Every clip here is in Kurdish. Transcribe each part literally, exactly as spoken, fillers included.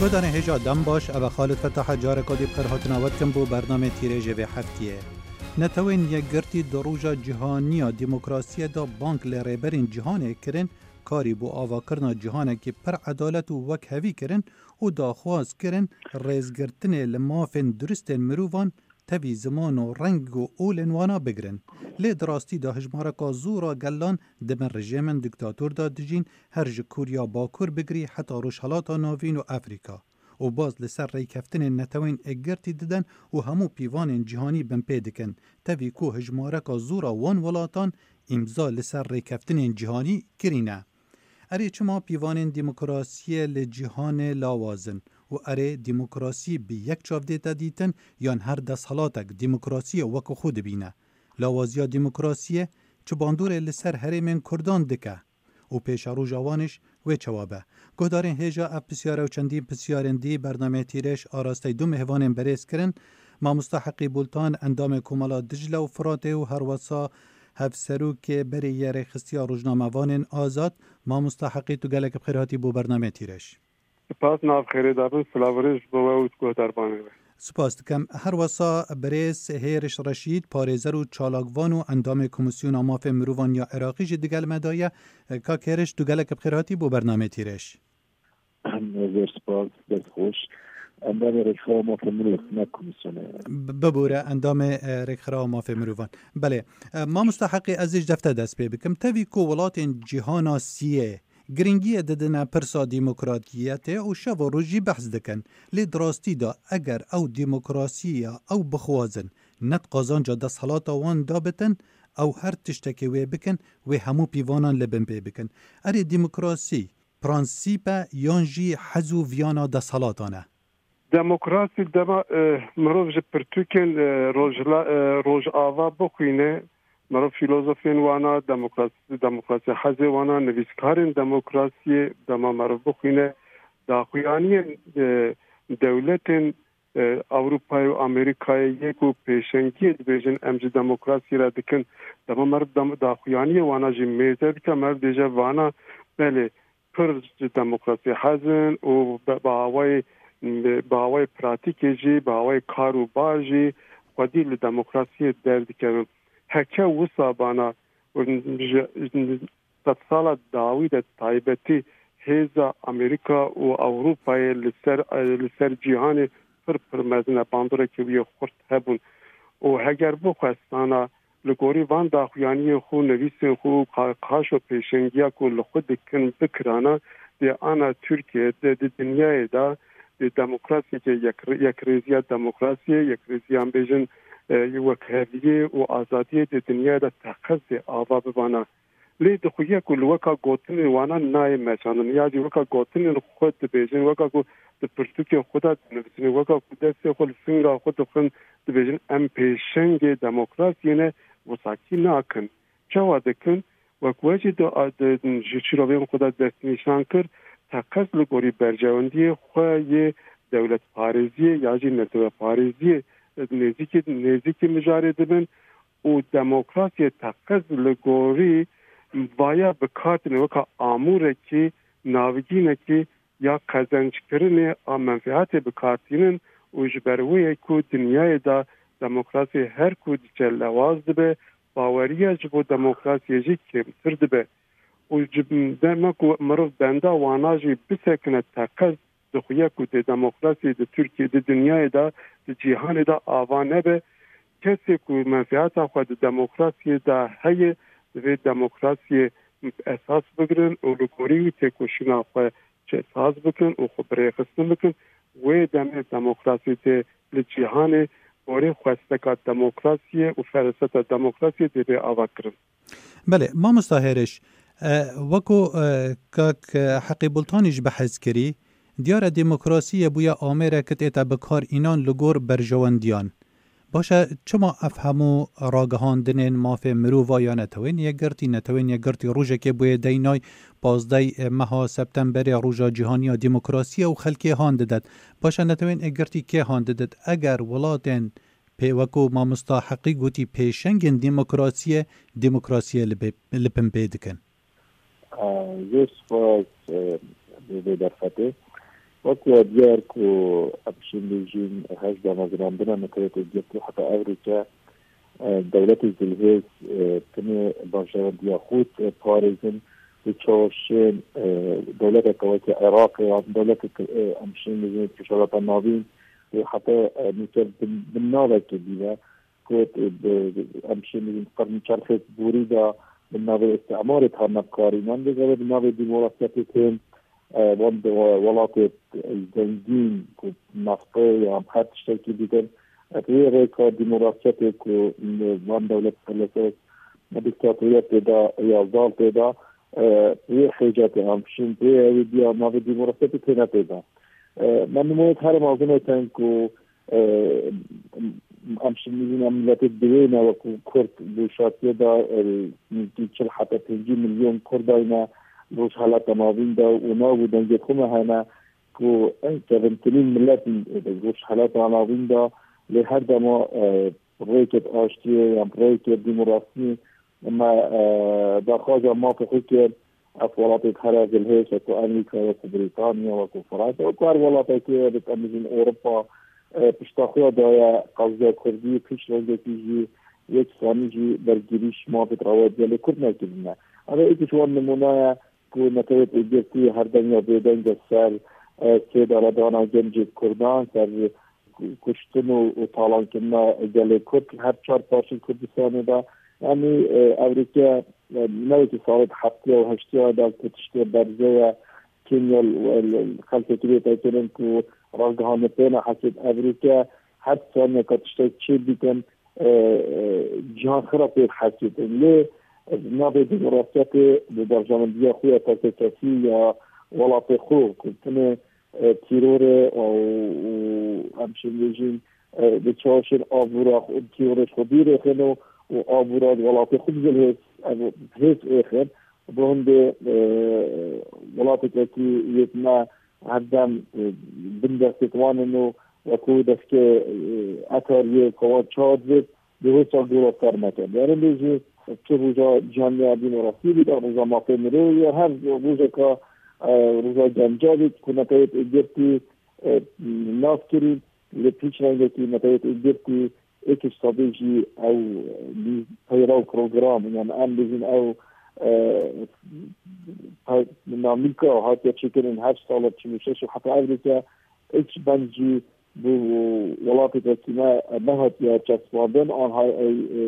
Guhdarên hêja dem baş, ev e Xalid Fetah e, careka dî bi xêr hatina we dikim bo bernamê Tîrêjê vê heftiyê. Netewên Yekgirtî di roja cîhanî ya demokrasiyê de bang li rêberên cîhanê kirin, karî bo avakirina cîhanekî pir edalet û wekhevî kirin û daxwaz kirin rêzgirtinê li mafên duristên mirovan tevî ziman û reng û olên wana bigirin. Lê di rastî de hijmareka zû ra gelan di bin rejîmên diktator de dijîn, her ji Koriya Bakur bigirî heta Rojhelata Navîn û Efrîka. Û baz li ser rêkeftinên Netewên Yekgirtî didin û hemû pîvanên cîhanî binpê dikin, tevî ku hijmareka zû ra wan welatan îmza li ser rêkeftinên cîhanî kirîne. Erê, çima pîvanên demokrasiyê li cîhanê lawaz in û erê demokrasî bi yek çav dête dîtin, yan her desthelatek demokrasiyê wek xwe dibîne? Lawaziya demokrasiyê çi bandorê li ser herêmên Kurdan dike û pêşeroja wan îş wê çawa be? Guhdarên hêja, ev pisyar e û çendîn pisyarên dî bernameyê Tîrêj arasteyî du mêvanên berêz kirin. Mamosta Heqî Bultan, endamê Komela Dicle û Firatê û herwesa hevserokê berê yê Rêxistiya Rojnamevanên Azad. Mamosta Heqî, tu gelek bi xêr hatî bo bernameyê Tîrêj. Spas, nav xêrê dabin, silav û rêz ji bo we û guhdarvanê we. Spas dikim. Herwesa birêz Hêriş Reşîd, parêzer û çalakvan û endamê Komîsyona Mafê Mirovan ya Iraqî jî digel me de ye. Kak Hêriş, tu gelek bi xêr hatî bo bernameyê Tîrêj. Zêr spas, dest xweş. Endamê Rêkxirawa Mafê Mirov, ne komîsyonê. B-, bibûre, endamê, e, Rêkxirawa Mafê Mirovan. Belê. E, mamosta Heqî, ez ê ji defte dest pê bikim. Tevî ku welatên cîhana siyê giringiyê didine pirsa demokratiyetê û şev û roj jî behs dikin. Lê di rastî de eger ew demokrasiya ew bixwazin, ne di qazanca desthilata wan de bitin, ew her tiştekê wê bikin, wê hemû pîvanan li bin pê bikin. Erê, demokrasî prensîp e yan jî hez û viyana desthilatan e? Demokrasî dema, e, mirov ji pirtûkên, e, rojhila-, e, Rojava bixwîne, mirov fîlozofên wana demokrasî, demokrasî hezê wana, nivîskarên demokrasiyê dema mirov bixwîne, daxuyaniyên, e, dewletên, e, Ewropayê û Amerîkayê yê ku pêşengiyê dibêjin em ji demokrasiyê re dikin, dema meriv dem-, daxuyaniyê wana jî mêze bike, meriv dêje vana, belê, pir ji demokrasiyê hez in û bi, bi awayê, bi awayê pratîkê jî, bi awayê kar û bar jî xwedî li demokrasiyê derdikevin. Heke wisa bana, ji, ji sedsala dawî de taybetî hêza Amerîka û Ewropayê li ser, li ser cîhanê pir pir mezin e, bandorekî wî yê xurt hebûn. Û heger bixwestana li gorî van daxuyaniyên xwe, nivîsên xwe û qa-, qaşo pêşengiya ku li xwe dikin bikirana, dê ana Tirkiye de di dinyayê de, dê demokrasiyeke yek-, yekrêziya demokrasiyê, yekrêziyan bêjin, e, wekheviyê û azadiyê di dinyayê de teqez dê ava bibana. Lê dixuye ku li weka gotinên wana nayê meşandin, ya jî weka gotinên xwe dibêjin, weka ku di pirtûkên xwe de dinivîsin, weka ku destê xwe li singa xwe dixin, dibêjin, em pêşengê demokrasiyê ne, wisakî nakin. Çawa dikin? Wek we jî di, di, ji şîrovên xwe de destnîşan kir, teqez li gorî berjewendiyê xwe yê dewletparêziyê ya jî netewparêziyê nêzîkî, nêzîkî mijarê dibin û demokrasiyê teqez li gorî vaya bi kar tînin weka amûrekî, navgînekî ya qezenckirinê a menfeatê bi kar tînin û ji ber wê ye ku dinyayê de demokrasiyê her ku diçe lewaz dibe, baweriya ji bo demokrasiyê jî kêmtir dibe. Û ji dema ku mirov benda wana jî bisekine teqez dixuye ku dê demokrasiyê di Tirkiye, di dinyayê de, di cîhanê de ava nebe. Kesê ku menfeata xwe di demokrasiyê de heye, divê demokrasiyê esas bigirin û li gorî wî têkoşîna xwe çi saz bikin û xwe birêxistin bikin. Wê demê demokrasiyê tê li cîhanê gorî xwesteka demokrasiyê û fereseta demokrasiyê dê bê ava kirin. Belê, mamosta Hêriş, e, weko, e, kak, e, Heqî Bultanî ji behs kirî, diyar e demokrasiyê bûye amêrek tête bi kar înan li gor berjewendiyan. Baş e, çima ev hemû ragihandinên mafê mirova ya Netewên Yekgirtî, Netewên Yekgirtî rojekê bûye deynay pazdeh meha Septemberê, roja cîhanî ya demokrasiyê û xelkê han didet? Baş e, Netewên Yekgirtî kê han didet? Eger welatên pê weko mamosta Heqî gotî pêşengên demokrasiyê, demokrasiyê li bê-, li bin pê dikin. Zêr spas, e, bê, bê derfetê. Wek we diyar ku em şîn bêjîn, hej damezrandina Netewê Yekgirtî heta evrîke, e, dewletê zilhêz, e, tenê bajarandiya xwe diparêzin, û çawa şên, e, dewleteke weke Iraqê yan dewleteke, e, em şîn bêjin Rojhilata Navîn, û heta, e, nûke bin, bin navekê dî ve, ku, e, bi, em şîn bêjin qirn çerxê borî de bi navê îstîmarê hatine bikarînan, lê ev ê bi navê demokrasiyetê tên, e, wan de-, welatê zengîn ku naftê yan her tiştekî dikin, e, bi wê rêka demokrasiyetê ku van dewlet felesef diktatoriyetê de ya zal tê de, e, wê xêcatê em şin pê ew ê diya navê demokrasiyetê têne pê de. E, me nimûneyek here mezin êtin ku, e, em şin bêjin em miletê diwêne wekî Kurd di şatiye de, e, nêzîkî çil heta pêncî milyon Kurd dayne Rojhilata Navîn de û nav û dengê xwe me hene ku, e, kevintirîn milet in, e, Rojhilata Navîn de, lê her dema, e, rêkê aştiyê yan rêkê demokrasiyê me, e, daxwaza mafê xwe kir, ev welatê here zilhêz, wekî Amerîka, wekî Brîtanya, wekî Fransa, wekî her welatekê, em bêjin Ewropa, e, pişta xwe daye qezya Kurdî, pişt rengekî jî yeksanî jî bergirîş mafê rewayet gelê Kurd nekirine. Ev êk ji wan nimûne ye ku Netewê Yekgirtî her deng ya bêdeng e ser, e, sêdaredana gencê Kurdan, ser kuştin û, û talankirina gelê Kurd her çar parçeyên Kurdistanê de. Yanî, e, evrîke, e, ne wekî salên heftiya û heştiya de ku tiştê berze ye, kêmya li, li, li xelkekî bê tekirin ku ragihandin pê ne hesêt evrîke her saniyeka tiştek çê bikin, e, e, cihan xira pê hesêtin. Lê, e, navê demokrasiyetê bi berjewendiya xwe ya tekekesî ya welatê xwe ku tenê e, tîrorê û, û em şênbêjîn, e, bi çaşên abûra xwe, tîrorê xwe dûr êxin û, û abûra welatê xwe bi zilhêz, ev hêz êxin. Bi hindê, e, welatekî yê me her dem, e, bin destê wan in û wekû destê, e, etariyê ku wan çar bêt, Di wê sal dora ser neke. Derin bêjî, tu roja cihaniya demokrasiyê bî, roja mafê mirovê ya her rojeka, e, roja genca bî, ku Netewê Yekgirtî, e, nas kirî, li pîç rengekî Netewê Yekgirtî êk ji sedê jî ew, e, peyra û program, yani em bêjin ew, e, pe-, dinamîka hatiye çêkirin her sala çil û şeş û heta evrêke, êk ji ben jî bi welatê tekî me nehatiye çespandin, anha ey, e,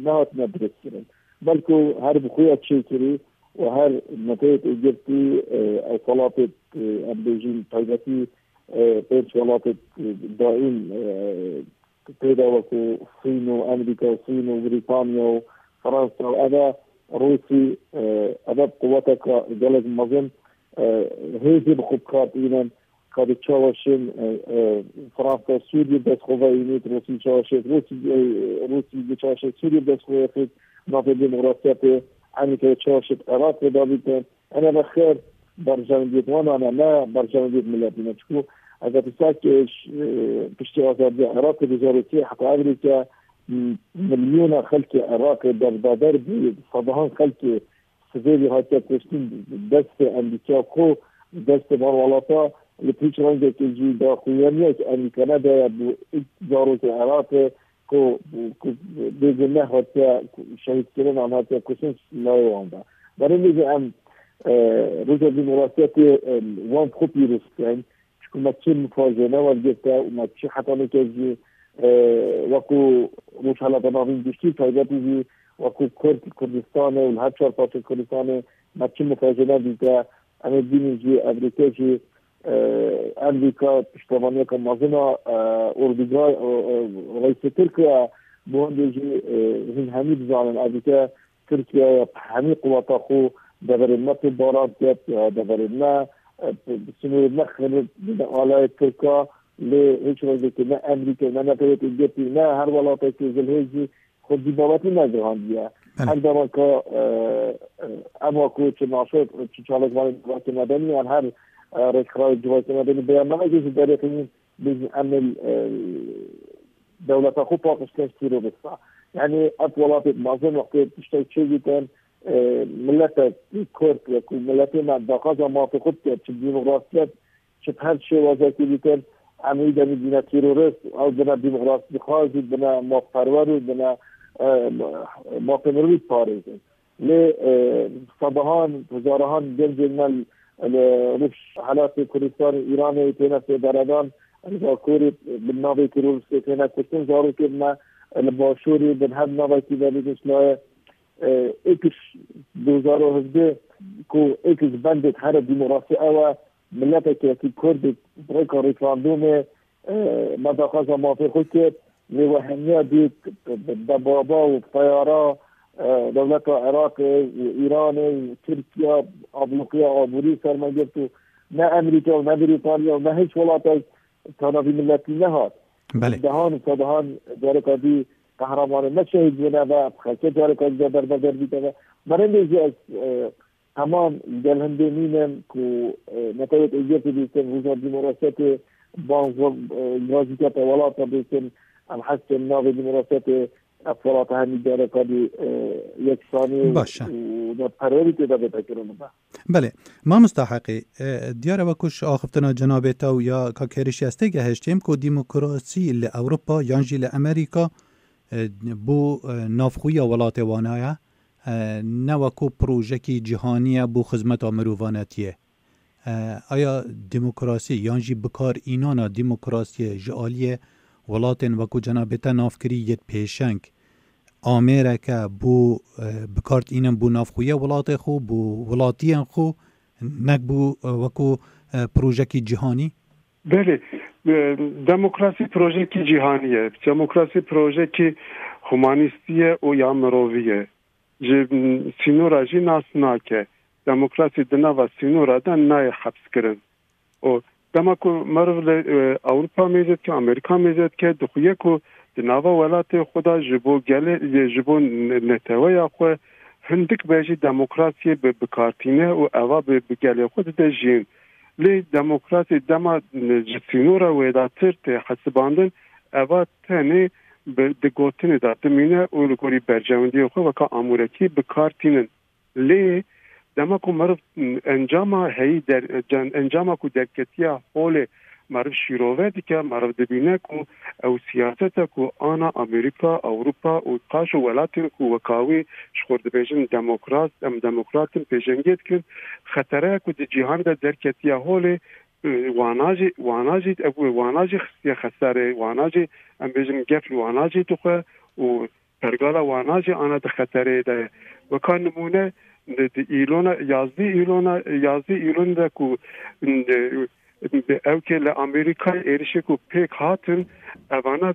nehatine dirêjkirin. Belku her bi xwe ya çêkirî û her Netewê Yekgirtî, e, ew welatê, e, em bêjin taybetî, e, pênc welatê, e, daîm, e, pê de wekû Çîn û Amerîka û Çîn û Brîtanya û Fransa û eve Rûsî, e, eve quweteke gelek mezin, e, hêzê bi xwe bi kar tînin. Ka di çawa şên, e, e, Fransa Sûriyê dest xwe veyînît, Rûsî çawa şên, Rûsî, e, Rûsî di çawa şên Sûriyê dest xwe veyînît, navê demokrasiyetê, Amerîka çawa şên Iraqê davîtin. Ene ve xêr berjewendiyêt wan e, ne berjewendiyêt miletî ne. Çiku eger tu sake, e, piştî azadiya Iraqê du hezar û sê heta evrîke, m-, milyona xelkê Iraqê derbeder bû, sedahan xelkê sivêlî hatiye kuştin, destê Amerîka ku destê van welata li pîç rengekê jî daxuyaniye ki Amerîka nedaye bo zarokê Iraqê ku, ku bê guneh hatiye şehîdkirin an hatiye kuştin layê wan de. Berê jî em, e, roja demokrasiyetê, e, wan xwe pîroz bikin. Çiku me çi mifajene wergirte û me çi heta nûke jî, e, wekû Rojhilata Navîn giştî taybetî jî wekû Kurd, Kurdistanê û li her çar parçeyên Kurdistanê me çi mifajene dîte. Em ê bînin jî evrîke jî, e, Amerîka piştevaniyeke mezin a, e, orduga, e, e, reîsê Tirkiye, bo hindê jî, e, hûn hemî dizanin evrîke Tirkiye ya bi hemî quweta xwe deverên me topbaran ket, ya deverên me, e, bi, bi sînorên me xirib bide aleyê Tirka, lê hiç rengekê ne Amerîka, ne Netewê Yekgirtî, ne her welatekê zilhêz jî xwe bî babetî negihandiye. Belê. Her dema ka, e, e, ema ku çi naşo, çi çalakvanên civakê medenî yan her, e, rêkxirayê civakê medenî bêyannamekê ji derê xînin, bêjin em ê, e, dewleta xwe paqij kin ji terorista. Yani ev welatê mezin wextê tiştek çêdîtin, e, miletek Kurd wekû miletê me daxwaza mafê xwe dike, çi demokrasiyet, Ji her şêwazekî dikin, em wî demî bîne terorist, ew bine demokrasîxwaz û bine mafperwer û bine, e, mafê mirovî diparêzin. Lê, e, sedahan, hezarehan gencên me li Rojhelatê Kurdistanê Îranê têne sêberedan, li Bakurê bi navê teroristê têne kuştin, zarokên me li Başûrê bin her navekî de bigişt laye. E, êkiş du hezar û hevdeh ku êkiş bendê here demokrasî ew e, mileteke wekî Kurdê rêka referandumê, e, me daxwaza mafê xwe kir, lê we hemiya dît debaba û teyara, e, dewleta Iraqê û Îranê û Tirkiye abloqiya aborî ser me girt û ne Amerîka û ne Brîtanya û ne hiç welatek tana vî miletî nehat. Belê. Dehan û sedehan careka dî qehremanên me şehîd bûne ve xelkê careka dî de derbeder dîte ve. Merindê jî ez, e, temam gel hindê nînim ku, e, netewek êgirtî bîstin, roja demokrasiyetê, ban, e, gazîkete welata bîstin, em hez dikin navê demokrasiyetê, ev welata hemî careka dî, e, yeksanî Baş e. û netperwerî tê de bête kirin be. Belê. Mamosta Heqî, e, diyar e wekû ji axiftina cenabê te û ya kak Hêrişî ez têgehiştîm ku demokrasî li Ewropa yan jî li Amerîka, e, bo, e, navxweya welatê wana ye, e, ne wekû projekî cîhanî ye bo xizmeta mirovanetiyê. E, aya demokrasî yan jî bikar înana demokrasiyê ji aliyê welatên wekû cenabê te nav kirî yê pêşeng amêreke bo, e, bikar tînin bo navxweya welatê xwe, bo welatiyên xwe, nek bo, e, wekû, e, projekî cîhanî? Belê, e, demokrasî projekî cîhanî ye. Demokrasî projekî humanîstî ye û ya mirovî ye. Ji, m, sînora jî nas nake. Demokrasî di nava sînora de nayê hepskirin. Û dema ku meriv li, e, Ewropa mêze dike, Amerîka mêze dike, dixuye ku di nava welatê xwe de ji bo gelê, ji bo ne-, neteweya xwe hindik be jî demokrasiyê bi, bikartîne û eva bi, bi gelê xwe dide jiyîn. Lê demokrasî dema, e, ji sînora wêdatir tê hesibandin, eva tenê bi, di gotinê de dimîne û li gorî berjewendiyê xwe weka amûrekî bikartînin. Lê dema ku meriv encama heyî der-, can-, encama ku derketiya holê meriv şîrove dike, meriv dibîne ku ew siyasete ku ana Amerîka, Ewropa û qaşo welatên ku weka wî ji xwe dibêjin demokrat, em demokrat in, pêşengê dikin, xetereya ku di cîhanê de derketiya holê, e, wana jî, wana jî, ev wana jî xistiye xeserê, wana jî, em bêjin gef li wana jî dixwe û pergala wana jî ana di xetereyê de ye. Weka nimûne di, di îlona, yazdî îlona, yazdî îlon de ku di, di ew ke li Amerîkayê êrişê ku pêk hatin, evana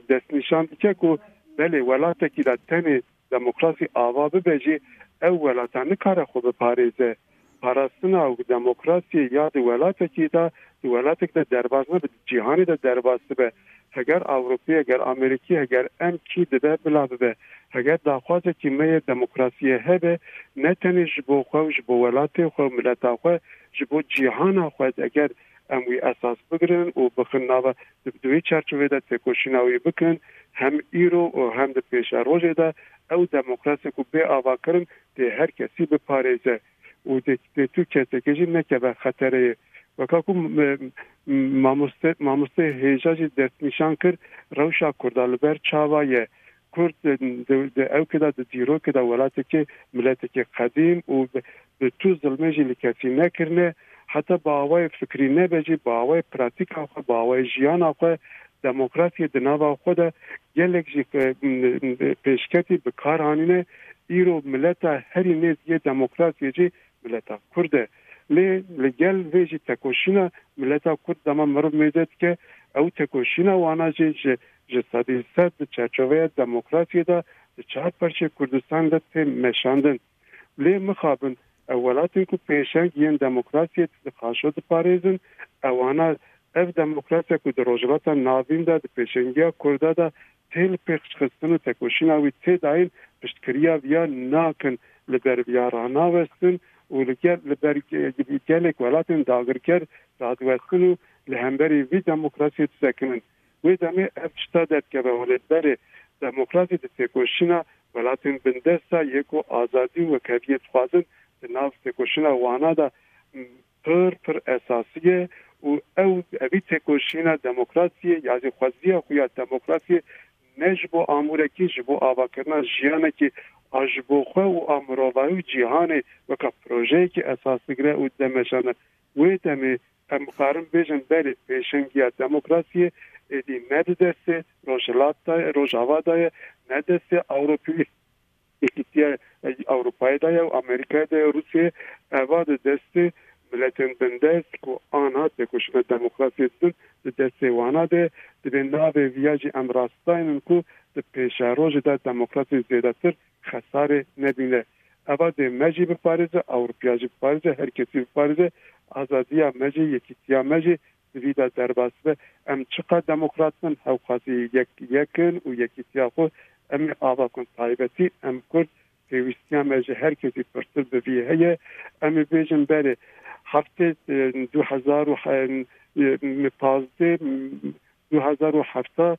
destnîşan dike ku belê welatekî de tenê demokrasî ava bibe jî ew welata nikare xwe biparêze. Parastina demokrasiyê ya di welatekî de, di welatek de derbas nebe, di cîhanê de derbas dibe. Heger Ewropî, heger Amerîkî, heger em kî dibe bila bibe. Heger daxwazekî me yê demokrasiyê hebe, ne tenê ji bo xwe û ji bo welatê xwe û mileta xwe, ji bo cîhana xwe, eger em wî esas bigirin û bixin nava, di, di wê çarçovê de têkoşîna wî bikin, hem îro û hem di pêşerojê de ew demokrasiyê ku bê avakirin tê her kesî biparêze û tê, tê tu kesekê jî nekeve xetereyê. Weka ku m-, m-, mamoste, mamoste hêja jî destnîşan kir, rewşa Kurda li ber çawa ye? Kurd di, di, di ewkê de, di dîrokê de welatekê, miletekê qedîm û bi, bi tu zilmê jî li kesî nekirine, heta bi awayê fikrî nebe jî, bi awayê pratîka xwe, bi awayê jiyana xwe, demokrasiyê di nava xwe de gelek jî, e, m-, m-, pêşketî bi kar anîne. Îro mileta herî nêz yê demokrasiyê jî mileta Kurd e. Lê li gel vê jî tekoşîna mileta Kurd dema meriv mêze dike, ew tekoşîna wana jî ji, ji sedî sed di çarçoveya demokrasiyê de di çar parçeyê Kurdistanê de tê meşandin. Lê mixabin, ew welatên ku pêşeng yên demokrasiyê di qaşo diparêzin, ewana ev demokrasiya ku di Rojhilata Navîn de di pêşengiya Kurda de tê li pêk xistin û tekoşîna wî tê dayîn, piştgiriya viya nakin, li ber viya ranawestin û li gel, li ber ge-, gelek welatên dagirker radiwestin û li hemberî vî demokrasiyê disekinin. Wê demê ev tişta derdikeve holê, berê demokrasî di têkoşîna welatên bindesta yê ku azadî û wekheviyê dixwazin di nav têkoşîna wana de pir, pir esasî ye û ew evî têkoşîna demokrasiyê ya jî xweziya xwe ya demokrasiyê ne ji bo amûrekî, ji bo avakirina jiyanekî a ji bo xwe û a mirovahî û cîhanê weke projeyekî esas digire û dimeşane. Wê demê em karin bêjin berê pêşengiya demokrasiyê êdî ne di destê Rojhilat de ye, Rojava de ye, ne destê Ewropî Yekîtiya Ewropayê de ye û Amerîkayê de ye, Rûsyayê, eva di destê miletên bindest ku anha têkoşîna demokrasiyê didin, di destê wana de ye. Divê navê viya jî em rastaynin ku di pêşerojê de demokrasiyê zêdetir xesarê nebîne. Eva dê me jî biparêze, Ewropiya jî biparêze, her kesî biparêze, azadiya me jî, yekîtiya me jî di vî de derbas be. Em çiqas demokrat bin, hewqasî yek, yek in û yekîtiya xwe em ê ava kun. Taybetî em Kurd pêwîstiya me ji her kesî pirtir bi vî heye. Em ê bêjin berê heftê, e, du hezar û pazdeh, du hezar û hevdeh,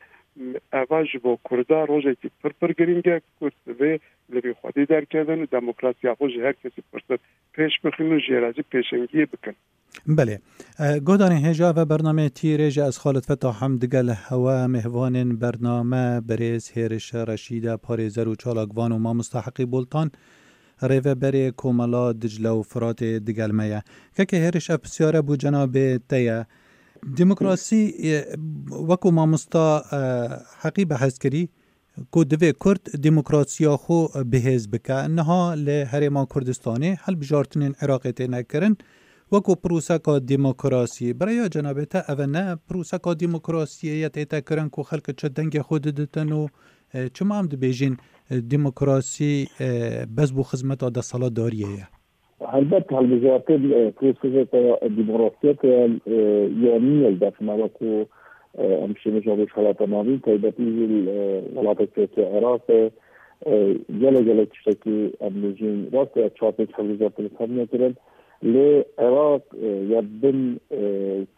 eva ji bo Kurda rojekî pir pir girîng e. Kurd divê li vî xwedî derkevin û demokrasiya xwe ji her kesî pirtir pêş bixin û jê re jî pêşengiyê bikin. Belê. E, guhdarên hêja ve bernameyê Tîrê ji ez Xalid Fetah em digel hewe mêhvanên bername birêz Hêriş Reşîde, parêzer û çalakvan û mamosta Heqî Boltan, rêveberê Komela Dicle û Firatê digel me ye. Kekê Hêriş, ev pisyare bû cenabê te ye. Demokrasî, e, wekû mamosta, e, Heqî behs kirî, ku divê Kurd demokrasiya xwe bihêz bike. Niha li Herêma Kurdistanê hilbijartinên Iraqê têne kirin wekû pirûseka demokrasiyê. Bi rêya cenabê te, ev ne pirûseka demokrasiyê ye tête kirin ku xelk çi dengê xwe diditin û, e, çima em dibêjin, e, demokrasî, e, bes bo xizmeta desthilatdariyê ye? Helbet, hilbijartin, e, proseseke demokrasiyeke, e, ya nî ye li def me, wekû, e, em şênê ji Rojhilata Navîn, taybetî jî, e, welatekî wekî Iraqê, e, gelek, gelek tiştekî em dibêjin, rast e, çar pênc hilbijartin li ser nekirin. Lê Iraq, e, ya bin, e,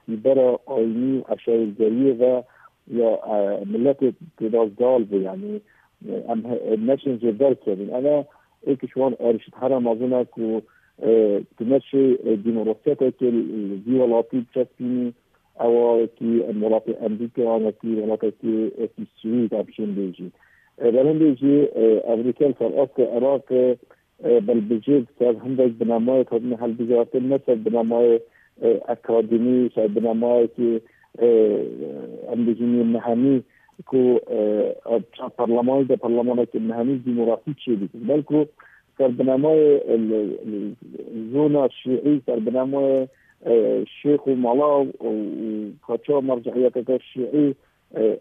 sîbera ayînî û eşaretgeriyê ve ya, e, miletê têda zal bû, yanî, e, em he-, neşên jê derkevin. Eve êk ji wan êrişên here mezin e ku, e, tu neşê, e, demokrasiyetekê li vî welatî biçespînî, ewa wekî em welatê Amerîka, wekî welatekî, wekî Swîd em şên bêjî. E, belendê jî, e, Amerîka li ser astê Iraqê, e, belbijêr ser hindek binemayê hatine hilbijartin, ne ser binemayê, e, akademî, ser binemayekî, e, em bêjin yê mehemî ku, e, çar parlemanî de parlemanekî mehemî demokrasî çêdikin. Belku ser binemayê, e, li, li, zona şîî, ser binemayê, e, şêx û mala û, û kaça mercehiyeteke şîî, e,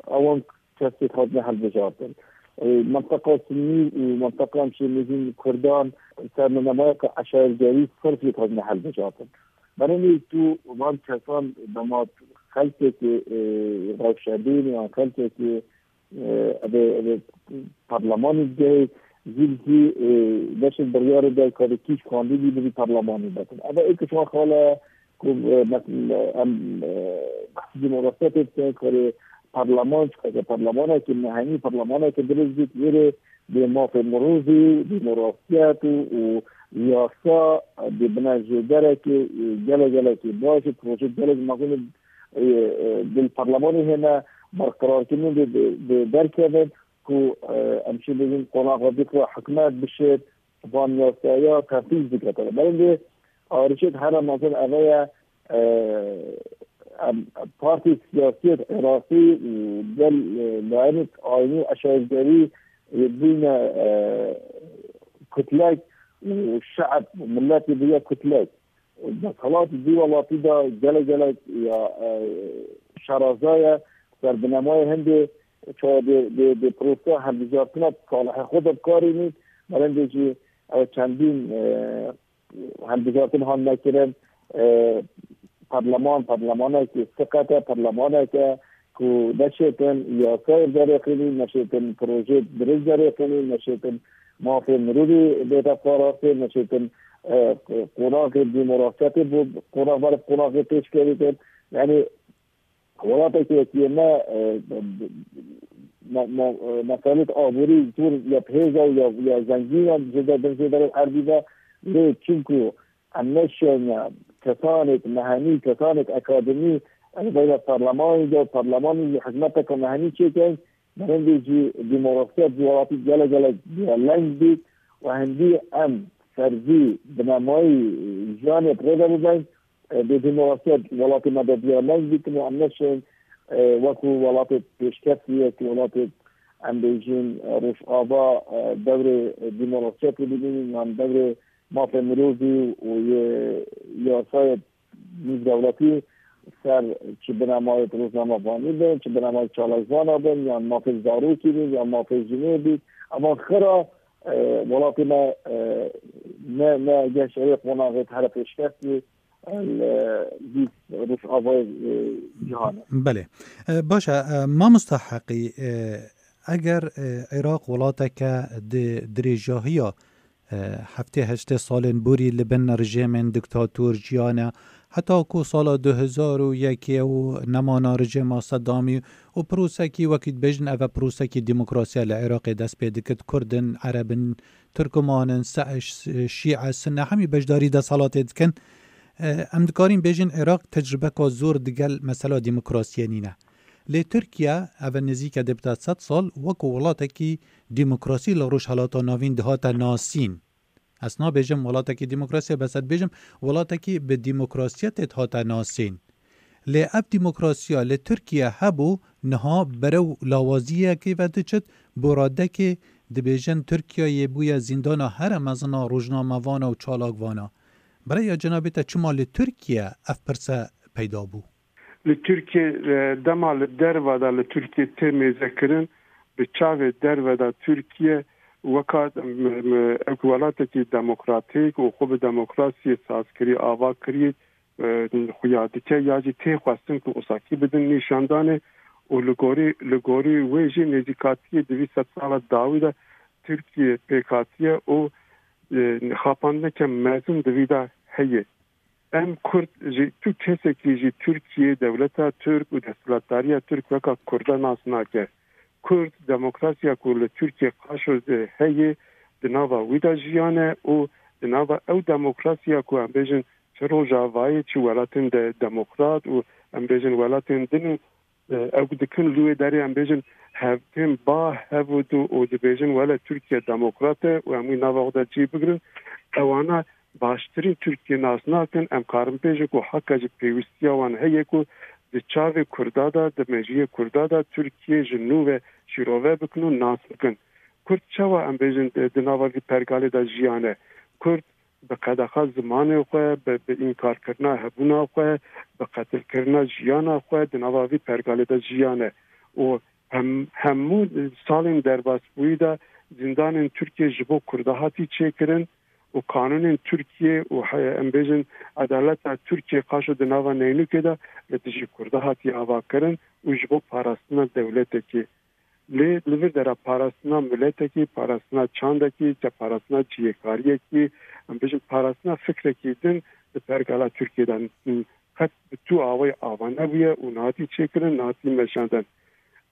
ewan kesê hatine hilbijartin. E, menteqa Sunnî û menteqa em şê mezin Kurdan ser binemayeke eşaretgerî sirf hatine hilbijartin. Berenê tu van kesan dema xelkekê, e, rewşebîn yan xelkekê, e, ebe, ebe parlemanî digehê, zîl zî, e, beşek biryarê de karê kî ji kandîdî bi vî parlemanî betin. Ebe êk ji wan xala ku, e, mes-, em, e, behsî demokrasiyetê dikin, karê parleman, çikake parlemanekî mehenî, parlemanekî dirêj bît, wêrê bê mafê mirovî, demokrasiyet û, û yasa, e, bê bine jêderekê, e, gelek gelekî baş û proje gelek mezin, e, e, di parlemanê hêne berqerarkirin dê, dê, dê derkevin ku, e, em şê bêjin qonaxa dî xwe hikûmet bişêt, van yasaya tenfîz bike. Belê, arîşek here mezin eve ye, e, em, partî siyasiyê Iraqî û gel, e, layinê ayînî eşaretgerî, e, bûne, e, kutlek û şe'b, miletê bûye kutlek. Desthilat di welatî de gelek gelek ya, e, şeraza ye, ser binemayê hindê çawa dê, dê, dê proseya hilbijartina salihê xwe de bikarînî, berendê jî ew çendîn, e, hilbijartin han nekirin, e, parleman, parlemanekî siqet e, parlemaneke ku neşêtin yasayê derêxînî, neşêtin projeyê dirêj derêxînî, neşêtin mafê mirovî bête parastin, neşêtin, e, qonaxê demokrasiyetê bo qonax ber qonaxê pêşkevî kin. Yanî welatekî wekî me, e, me, me, e, meselêt aborî zor ya bi hêz e û ya, ya zengîn e, jêde bin jêderê erdî de lê çimku em neşiyane kesanêk mehenî, kesanêk akademî, ez beyne parlemanî de, parlemanî jî hizmeteke mehenî çêkin, berindê jî demokrasiyet ji welatî gelek gelek diyarleng bît û hindî em serzî binemayî jiyanê bi rê de bibin, e, bê demokrasiyet welatê me de diyarleng bîtin û em neşên, e, wekû welatê pêşkevtî yek, welatê em bêjin, e, Rojava, e, devrê demokrasiyetê bibînin, yan devrê mafê mirovî û yê yasayê nîvdewletî ser çi binemayê rojnamevanî bin, çi binemayê çalakvana bin, yan mafê zarokî bin, yan mafê jinê bît. Evan xira, e, welatê me, e, ne, ne geş ewê qonaxê here pêşkevtî, e, li vî Rojavayê, e, cîhanê. Belê. E, baş e, e, mamosta Heqî, e, eger, e, Iraq welateke di dirêjahiya, e, heftê heştê salên borî li bin rejîmên diktator jiyane, heta ku sala du hezar û yekê û nemana rejîma Sedamî û prosekî wekî dibêjin, ev e prosekî demokrasiya li Iraqê dest pê dikit, Kurd in, Ereb in, Tirkman in, Se-, Ş-, Şîe, Sunne, hemî beşdarî desthilatê dikin. E, em dikarin bêjin Iraq tecrubeka zor digel mesela demokrasiyê nîne. Lê Tirkiye, ev e nêzîke dê bide sed sal, wekû welatekî demokrasî li Rojhelata Navîn dihate nasîn. Ez nabêjim welatekî demokrasî, bes ez dibêjim welatekî bi demokrasiyetê dihate nasîn. Lê ev demokrasiya li Tirkiye hebû, niha berew lawaziyekê ve diçit, bo radekê dibêjin Tirkiyeyê bûye zîndana here mezin a rojnamevana û çalakvana. Bi raya cenabê te çima li Tirkiye ev pirse peyda bû? Li Tirkiye, e, dema li derve de li Tirkiye tê mêzekirin, bi çavê derve de Tirkiye weka, m-, m-, wek welatekî demokratîk û xwe bi demokrasiyê sazkirî, ava kirî, e, xuya dike ya jî tê xwestin ku osakî bidin nîşandanê û li gorî, li gorî wê jî nêzîkatiyê di vî sedsala dawî de Tirkiye pêk hatiye û, e, xapandineke mezin di vî de heye. Em Kurd jî, tu kesekî jî Tirkiye, dewleta Tirk û desthilatdariya Tirk weka Kurda nas nake. Kurd demokrasiya ku li Tirkiye qaşo heye, di nava wî de jiyane û di nava ew demokrasiya ku em bêjin çi Rojavayê, çi welatên de demokrat û em bêjin welatên din, e, ew dikin li wê derê em bêjin hev tên ba hev û du û dibêjin wele Tirkiye demokrat e û em wî nava xwe de cî bigirin. Ewana baştirîn Tirkiye nas nakin, em karin bêjin ku haka ji pêwîstiya wan heye ku di çavê Kurda de, di mejiyê Kurda de Tirkiye ji nû ve şîrove bikin û nas bikin. Kurd çawa em bêjin di, di nava vî pergalê de jiyane? Kurd bi qedexa zimanê xwe, bi, bi înkarkirina hebûna xwe, bi qetilkirina jiyana xwe di nava vî pergalê de jiyane û hem, hemû salên derbasbûyî de zîndanên Tirkiye ji bo Kurda hatî çêkirin û kanûnên Tirkiye û he-, em bêjin edaleta Tirkiye qaşo di nava neynûkê de li dijî Kurda hatiye avakirin û ji bo parastina dewletekê. Lê li vir dera parastina miletekî, parastina çandekî, te parastina cihêkariyekî, em bêjin parastina fikrekî din di pergala Tirkiye de qet bi tu awayî ava nebûye û nehatî çêkirin, nehatî meşandin.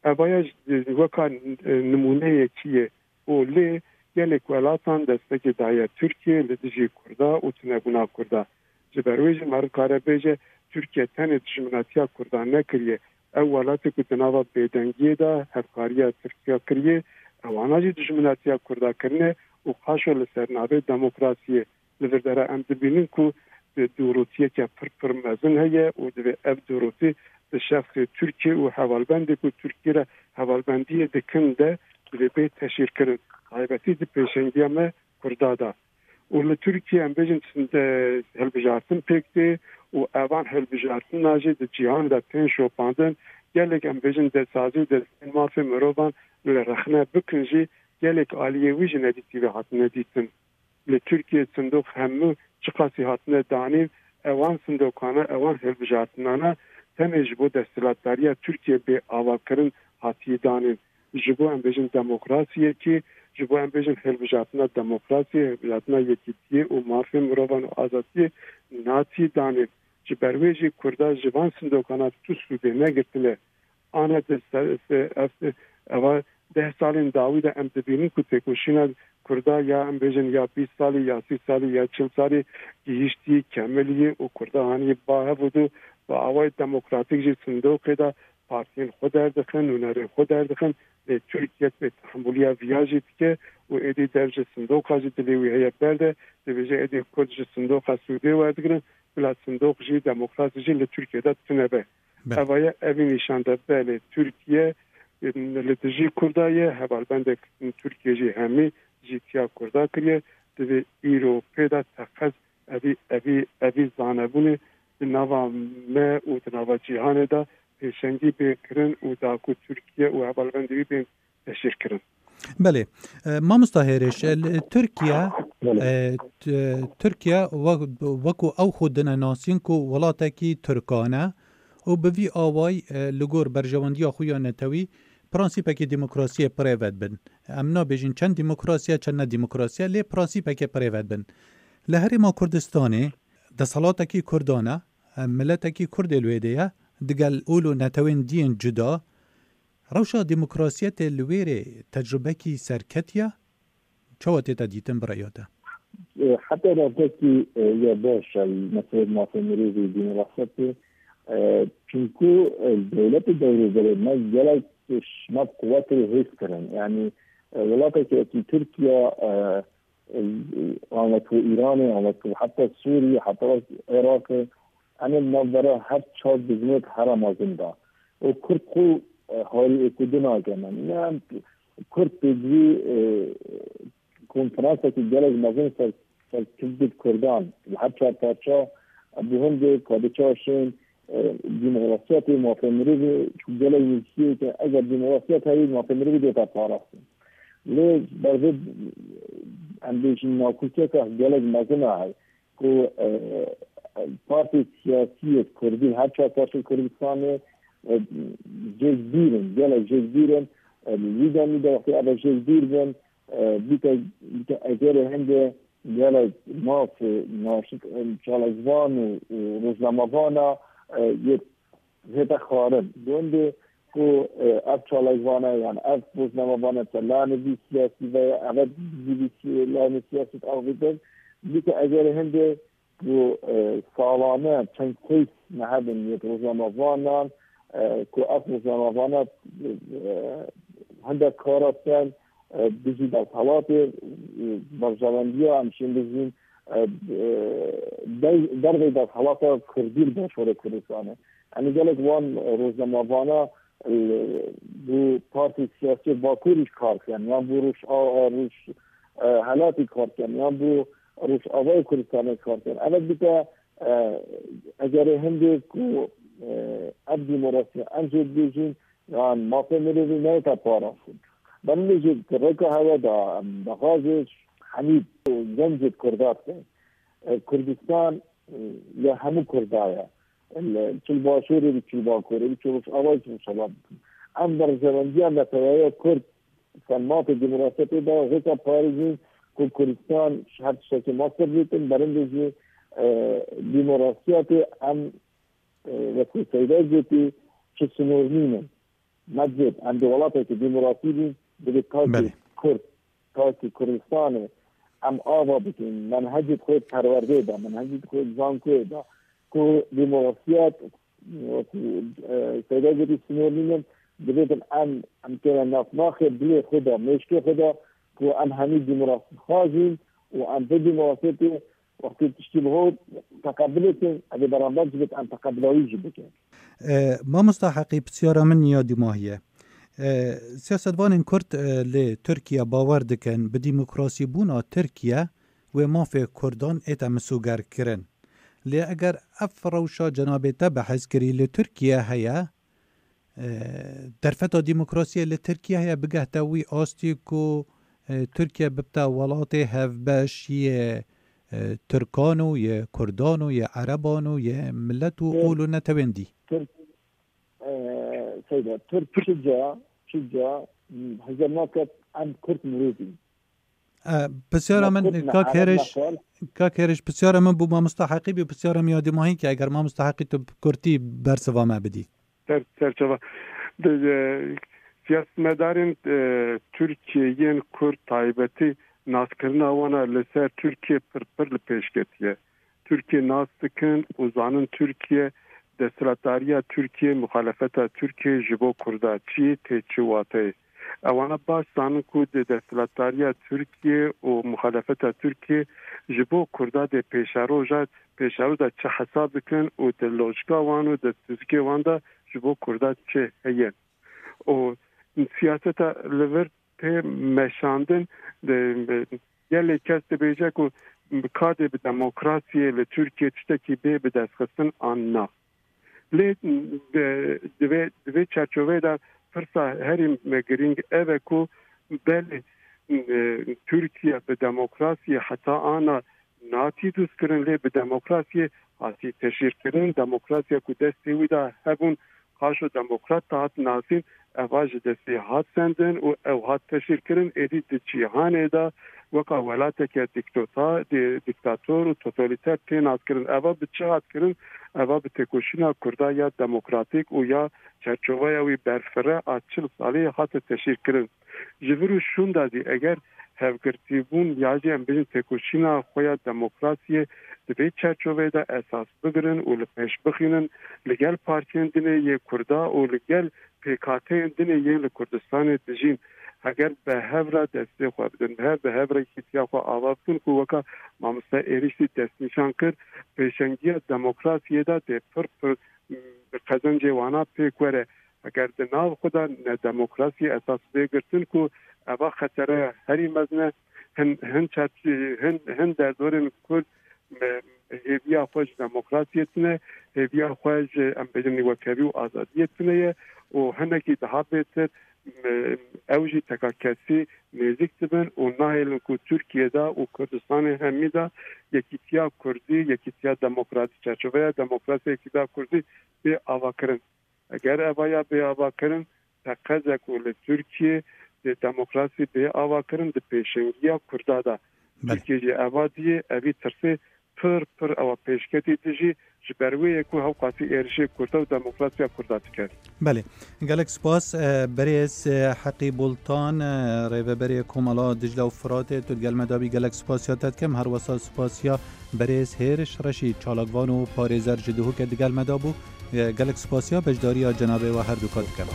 Evaya ji, weka, e, nimûneyekî ye û lê gelek welatan destekê daye Tirkiye li dijî Kurda û tunebûna Kurda. Ji ber wê jî meriv kare bêje, Tirkiye tenê dijminatiya Kurdan nekiriye. Ew welatê ku di nava bêdengiyê de hevkariya Tirkiya kiriye, ewana jî dijminatiya Kurda kirine û qaşo li ser navê demokrasiyê. Li vir dera em dibînin ku di dûrotiyeke pir pir mezin heye û divê ev dûrotî di şexsê Tirkiye û hevalbendê ku Tirkiye re hevalbendiyê dikin de divê bê teşhîrkirin. Taybetî di pêşengiya me Kurda de. Û li Tirkiye em bêjin çinde hilbijartin pêk tê û evan hilbijartina jî di cîhan de tên şopandin. Gelek em bêjin destsazî û destên mafê mirovan li rexne bikin jî gelek aliyê wî ji nedîtî ve hatine dîtin. Li Tirkiye sindoq hemû çiqasî hatine danîn, ewan sindokana, ewan hilbijartinana tenê ji bo desthilatdariya Tirkiye bê avakirin hatiye danîn. Ji bo em bêjin demokrasiyekê, ji bo em bêjin hilbijartina demokrasiyê, hilbijartina yekîtiyê û mafên mirovan û azadiyê natiye danê. Ji ber wê jî Kurda ji van sindokana tu sûdê negirtine. Ane di ser, se-, ev, eva deh salên dawî de em dibînin ku têkoşîna Kurda ya, em bêjin, ya bîst salî, ya sî salî, ya çil salî gihîştî, kemilî û Kurda hanî ba hev û du bi awayê demokratîk jî sindoqê de partiyên xwe derdixin, nûnerên xwe derdixin, lê Tirkiye bêtehemûliya viya jî dike û êdî dev ji sindoqa jî dilê wî heye berde, dibêje êdî Kurd ji sindoqa sûdê werdigirin, bila sindoq jî, demokrasî jî li Tirkiye de tune be. Be. Ev aye, evî nîşan de, belê, Tirkiye, em, li dijî Kurda ye, hevalbendek Tirkiye jî hemî jîtiya Kurda kiriye, divê îro pê de teqez evî, evî, evî zanebûnê di nava me û di nava cîhanê de pêşengî bê kirin û da ku Tirkiye û hevalbendê wî bên teşhîr kirin. Belê. E, mamosta Hêrêş, e, li Tirkiye, Belê. e, t-, Tirkiye wek-, wekû ew xwe dine nasîn ku welatekî Tirkan e û bi vî awayî, e, li gor berjewendiya xwe ya netewî prensîpekî demokrasiyê bi rê ve dibin. Em nabêjin çend demokrasiye, çend ne demokrasiye, lê prensîpekê bi rê ve dibin. Li Herêma Kurdistanê desthilatekî Kurdan e, e, miletekî Kurdê li wê de ye, digel ol û netewên diyên cuda. Rewşa demokrasiyetê li wê rê tecrubekî serketî ye? Çawa tête dîtin bi rêya te? E, heta rewşekî, e, ya baş e, meseleyê mafê mirovî, demokrasiyetê. E, çunku, e, dewletê dewrûberê me gelek şima quwet û hêz kirin. Yanî, e, welatekî wekî Tirkiye, e, e, an wek Îranê, an wek heta Sûriyê, heta wek Iraqê, em ê navbera her çar dijminê di here mezin de. Û Kurd xwe, e, harî êkûdî nake me. Ne, Kurd pêdivî, e, konferansekî gelek mezin ser, ser Kurd, Kurdan, li her çar parça, e, bi hindê ka di çaşên, e, demokrasiyetê, mafê mirovê, çi gelek nivîsiyê ke eger demokrasiyet heyî, mafê mirovê dê te parastin. Lê bervê, em bêjin, nakokiyeke gelek mezin a heye ku, e, partê siyasî yê Kurdî, her çar parçeyê Kurdistanê, e, jêkbîr in, gelek jêkbîr in. E, li vî demî de wextê ev jêkbîr bin, e, bîte, bîte egerê hindê gelek mafê naşik, e, çalakvan û, û rojnamevana, e, yê hête xwarin. Gundê ku, e, ev çalakvane, yan ev rojnamevane te lanê vî siyasî ve ye, ev vî siyasî, lanê siyasî avêtin, bike egerê hindê ku, e, salane çend kes me hebin yê rojnamevanan, e, ku ev rojnamevane, e, hindek kara sen, e, dijî desthilatê, e, berjewendiya em şên bijîn, e, e, dey-, dervey desthilata Kurdî li Başûrê Kurdistanê. Em ê gelek wan rojnamevana, e, bi partî siyasî Bakurî kar kirin, yan bi Roj-, a, a, Roj-, e, Helatî kar kirin, yan bi Rojavayê Kurdistanê kar kirin. Ev bike, e, egerê hindê ku, e, ev demokrasiya em jê dibêjin, yan mafê mirovî neyête parastin. Belê jî di rêka hewe de em daxwazê hemî gencê Kurda dikin. E, Kurdistan, e, ya hemû Kurda ye. Li, çi li Başûrê bî, çi li Bakurê bî, çi Rojavayê, çi Rojhilata. Em berjewendiya neteweyê Kurd ser mafê demokrasiyetê de rêka parêzîn ku Kurdistan ji her tiştekî mestir bîtin, berindê jî, e, demokrasiyetê em, e, wekî Seyda gotî, çi sinor nînin. Mecid, em di welatekî demokrasî bîn, divê takî Belê. Kurd, takî Kurdistanê em ava bikin, menhecê xwe perwerdê de, menhecê xwe zankoyê de, ku demokrasiyet, wekî, e, Seyda gotî, sinor nînin, divêtin em, em kêne navnaxê dilê xwe de, mêşkê xwe de, ku em hemî demokrasî xwazîn û em vê demokrasiyetê wextê tiştî li hor teqebilê kin, ev ê beramber jî bit, em teqebila wî jî bikin. E, mamosta Heqî, pisyara min ya dîmahî ye. E, siyasetvanên Kurd, e, li Tirkiye bawer dikin, bi demokrasîbûna Tirkiye wê mafê Kurdan ête misogerkirin. Lê eger ev rewşa cenabê te behs kirî li Tirkiye heye, e, derfeta demokrasiyê li Tirkiye heye bigehte wî astî ku, e, Tirkiye bibte welatê hevbeş yê, e, Tirkan û yê Kurdan û yê Ereban û yê milet û Ê, ol û netewên dî. Tirk, e, Seyda, Tirk çi ca, çi ca, m, hizir naket em Kurd mirov in. E, pisyara Me min, Kurd me kak Ereb Hêriş, me xal. Kak Hêriş, pisyara min bû mamosta Heqî bî, pisyara min ya dîmahî ke eger mamosta Heqî tu bi kurtî bersiva me bidî. Ser, serçava. De, de, Siyasetmedarên e, Tirkiyê yên Kurd taybetî naskirina wan a li ser Tirkiye pir pir li pêş ketiye. Tirkiye nas dikin û zanin Tirkiye, desthilatdariya Tirkiye, muxalefeta Tirkiye ji bo Kurda çi ye, tê çi wateyê. Ewana baş zanin ku di desthilatdariya Tirkiye û muxalefeta Tirkiye ji bo Kurda dê pêşeroja, pêşeroja çi hesab dikin û di lojika wan û di fizikê wan de ji bo Kurda çi heye. Û siyaseta li vir tê meşandin, de, gelê kes dibêje ku ka dê bi demokrasiyê li Tirkiye tiştekî bê bi destxistin an na. Lê di, di vê, di vê çerçoveyê de pirsa herî girîng ev e ku belê, e, Tirkiye bi demokrasiyê heta ana natî dûstkirin, lê bi demokrasiyê hatî teşhîrkirin. Demokrasiya ku destê wî de hebûn, qaşo demokrat dihat nasîn, eva ji destê hat sendin û ew hat teşhîrkirin. Êdî di cîhanê de weka welateke dîktota-, dî-, dîktator û totalîter tê naskirin. Eva bi çi hat kirin? Eva bi têkoşîna Kurda ya demokratîk û ya çerçoveya wî berfireh a çil salî hate teşhîrkirin. Ji vir û şûnda zî eger hevgirtîbûn ya jî em bêjin têkoşîna xwe ya demokrasiyê di vê çerçoveyê de esas bigirin û li pêş bixînin, li gel partiyên din ê yê Kurda û li gel pêkhateyên din ê yên li Kurdistanê dijîn, heger bi hev re destê xwe bidin, bi hev, bi hev re yekîtiya xwe ava bikin ku weka mamoste Êrîş zî destnîşan kir, pêşengiya demokrasiyê de dê pir pir, mm, bi qezencê wana pêk were. Eger di nav xwe de ne demokrasiyê esas bê girtin ku eva xetere herî mezin e, hin, hin çerçî-, hin, hin derdorên Kurd, e, hêviya xwe ji demokrasiyê tune, hêviya xwe ji, em bêjin, wekevî û azadiyê tune ye û hinekî daha bêtir, e, ew jî teka kesî nêzîk dibin û nahêlin ku Tirkiye de û Kurdistanê hemî de yekîtiya Kurdî, yekîtiya demokratîk, çerçoveya demokrasiyê yekîtiya Kurdî bê avakirin. Eger eva ya bê avakirin, teqez e ku li Tirkiye dê demokrasî bê avakirin di pêşengiya Kurda de. Belê. Tirkiye jî eva diyê, evî tirsê pir pir ewa pêşketî dijî, ji ber wê yê ku hewqasî êrişê Kurda û demokrasiya Kurda dike. Belê. Gelek spas, e, berêz, e, Heqî Bultan, e, rêveberê Komela Dicle û Firatê, tu digel me dabî, gelek spasiya te dikim. Her wesa spasiya berêz Hêriş Reşîd, çalakvan û parêzer ji Duhokê digel me dabû. E, gelek spasiya beşdariya cenabê we her duka dikim.